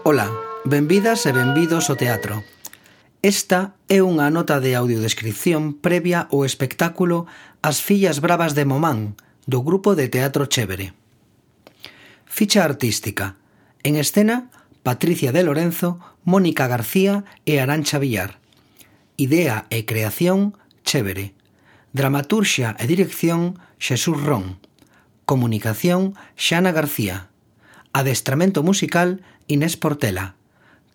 Ola, benvidas e benvidos ao teatro. Esta é unha nota de audiodescripción previa ao espectáculo As fillas bravas de Momán, do grupo de teatro Chévere. Ficha artística. En escena, Patricia de Lorenzo, Mónica García e Arantxa Villar. Idea e creación, Chévere. Dramaturxia e dirección, Xesús Ron. Comunicación, Xana García. Adestramento musical, Inés Portela.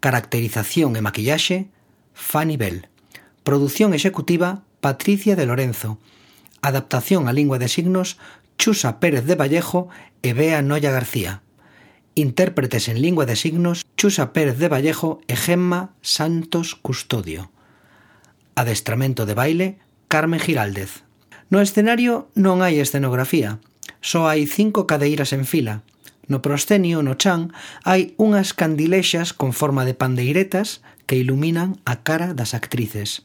Caracterización e maquillaxe, Fanny Bell. Produción executiva, Patricia de Lorenzo. Adaptación a lingua de signos, Chusa Pérez de Vallejo e Bea Noia García. Intérpretes en lingua de signos, Chusa Pérez de Vallejo e Gemma Santos Custodio. Adestramento de baile, Carmen Giraldez. No escenario non hai escenografía, só hai 5 cadeiras en fila. No proscenio, no chan, hai unhas candilexas con forma de pandeiretas que iluminan a cara das actrices.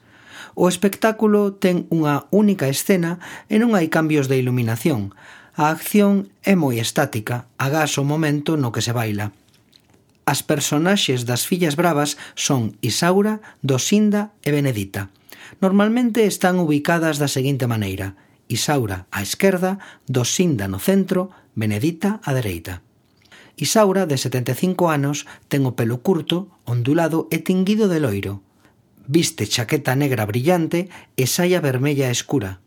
O espectáculo ten unha única escena e non hai cambios de iluminación. A acción é moi estática, agás o momento no que se baila. As personaxes das fillas bravas son Isaura, Dosinda e Benedita. Normalmente están ubicadas da seguinte maneira: Isaura á esquerda, Dosinda no centro, Benedita á dereita. Isaura, de 75 anos, ten o pelo curto, ondulado e tinguido de loiro. Viste chaqueta negra brillante e saia vermella escura.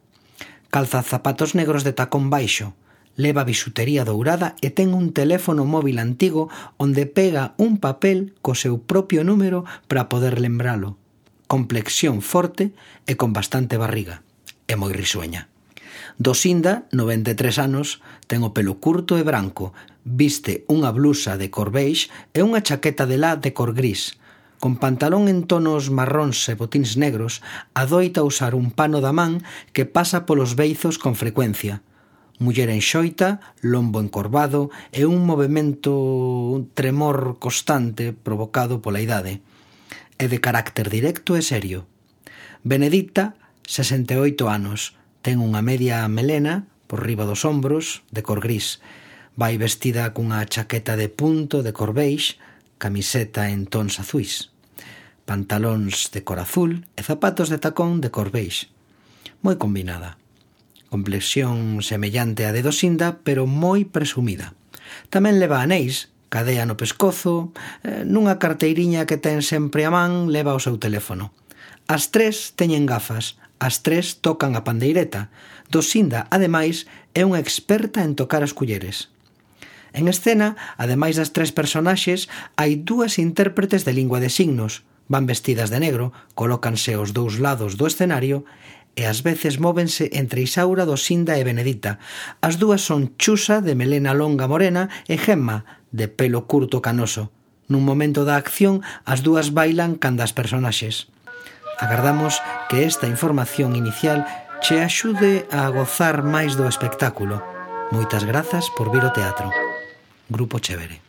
Calza zapatos negros de tacón baixo. Leva bisutería dourada e ten un teléfono móvil antigo onde pega un papel co seu propio número para poder lembralo. Complexión forte e con bastante barriga. É moi risueña. Dosinda, 93 anos, ten o pelo curto e branco, viste unha blusa de cor beige e unha chaqueta de lã de cor gris. Con pantalón en tonos marróns e botíns negros, adoita usar un pano da man que pasa polos beizos con frecuencia. Muller enxoita, lombo encorvado e un un tremor constante provocado pola idade. É de carácter directo e serio. Benedita, 68 anos, ten unha media melena por riba dos ombros de cor gris. Vai vestida cunha chaqueta de punto de cor beige, camiseta en tons azuis, pantalóns de cor azul e zapatos de tacón de cor beige. Moi combinada. Complexión semellante á de Dosinda, pero moi presumida. Tamén leva anéis, cadea no pescozo, nunha carteiriña que ten sempre a man leva o seu teléfono. As tres teñen gafas, as tres tocan a pandeireta. Dosinda, ademais, é unha experta en tocar as culleres. En escena, ademais das tres personaxes, hai 2 intérpretes de lingua de signos. Van vestidas de negro, colócanse aos 2 lados do escenario e ás veces móvense entre Isaura, Dosinda e Benedita. As 2 son Chusa, de melena longa morena, e Gemma, de pelo curto canoso. Nun momento da acción, as 2 bailan canda as personaxes. Agardamos que esta información inicial che axude a gozar máis do espectáculo. Moitas grazas por vir ao teatro. Grupo Chévere.